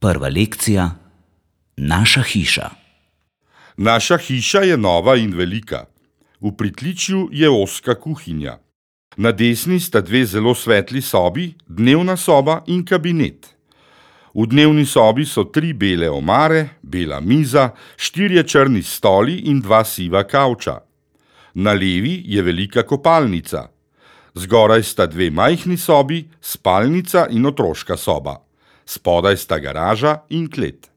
Prva lekcija: Naša hiša. Naša hiša je nova in velika. V pritličju je ozka kuhinja. Na desni sta dve zelo svetli sobi, dnevna soba in kabinet. V dnevni sobi so 3 bele omare, bela miza, 4 črni stoli in 2 siva kavča. Na levi je velika kopalnica. Zgoraj sta 2 majhni sobi, spalnica in otroška soba. Spodaj sta garaža in klet.